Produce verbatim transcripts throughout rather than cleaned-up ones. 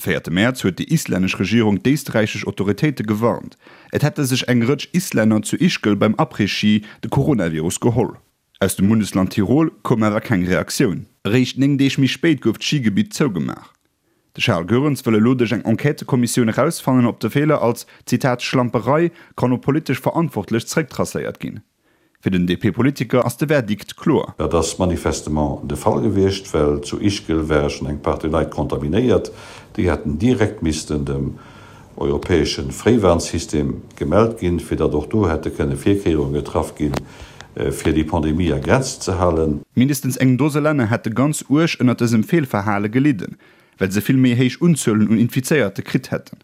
De véierte Mäerz huet déi islännesch Regierung d'éisträichesch Autoritéite gewarnt, et hätte sech eng Rëtsch Islänner zu Ischgl beim Après-Ski de Coronavirus geholl. Aus dem Bundesland Tirol koum awer keng Reaktioun. Eréischt néng Deeg méi spéit gouf d'Schigebitt zougemaach. De Charles Goerens wëll elo duerch eng Enquêtëkommissioun erausfannen, ob de Feeler als, Zitat, Schlamperei kann op politesch Verantwortlech zerécktracéiert ginn. Fir den D P-Politiker ass de Verdikt kloer. Dat ass manifestement de Fall gewiescht, well zu Ischgl ware schonn eng Partie Leit kontaminéiert. Déi hätten direkt missten dem europäesche Fréiwarnsystem gemellt ginn, fir datt och do hätte kënne Virkéierunge getraff ginn, fir déi Pandemie a Grenzen ze halen. Mindestens eng Dose Länner hätte ganz uerg ënnert dësem Feelverhale gelidden, well se vill méi héich Unzuelen un Infizéierte kritt hätten.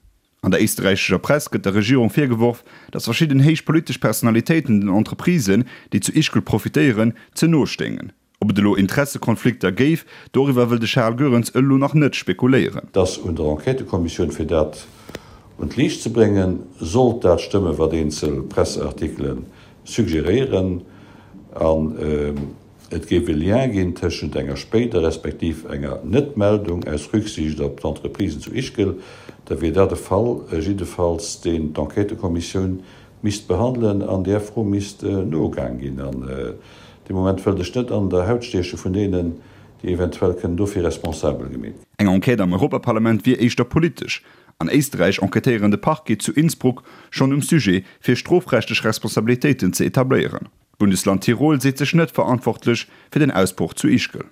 An der éisträichescher Press gëtt der Regierung virgeworf, datt verschidden héich politesch Personalitéiten den Entreprisen, déi zu Ischgl profitéieren, ze no stéingen. Ob et elo Interessekonflikter géif, doriwwer wëll de Charles Goerens elo nach net spekuléieren. Et ass un der Enquêtëkommissioun, fir dat un d'Liicht ze bréngen. Sollt dat stëmmen, wat eenzel Presseartikele suggeréieren, an et géif e Lien ginn tëschent enger spéider respektiv enger Net-Meldung aus Rücksicht op d'Entreprisen zu Ischgl, da wier dat e Fall jiddefalls, deen d'Enquêtëkommissioun misst behandelen an där Fro misst nogaang ginn. An dee Moment wëllt ech net an der Haut stieche vun deenen, déi eventuell kënnen dofir responsabel gemeet ginn. Eng Enquête am Europaparlament wier éischter politesch. An Éisträich enquêtéieren de Parquet zu Innsbruck schonn um Sujet, fir strofrechtlech Responsabilitéiten ze etabléieren. D'Bundesland Tirol seet sech net verantwortlech fir den Ausbroch zu Ischgl.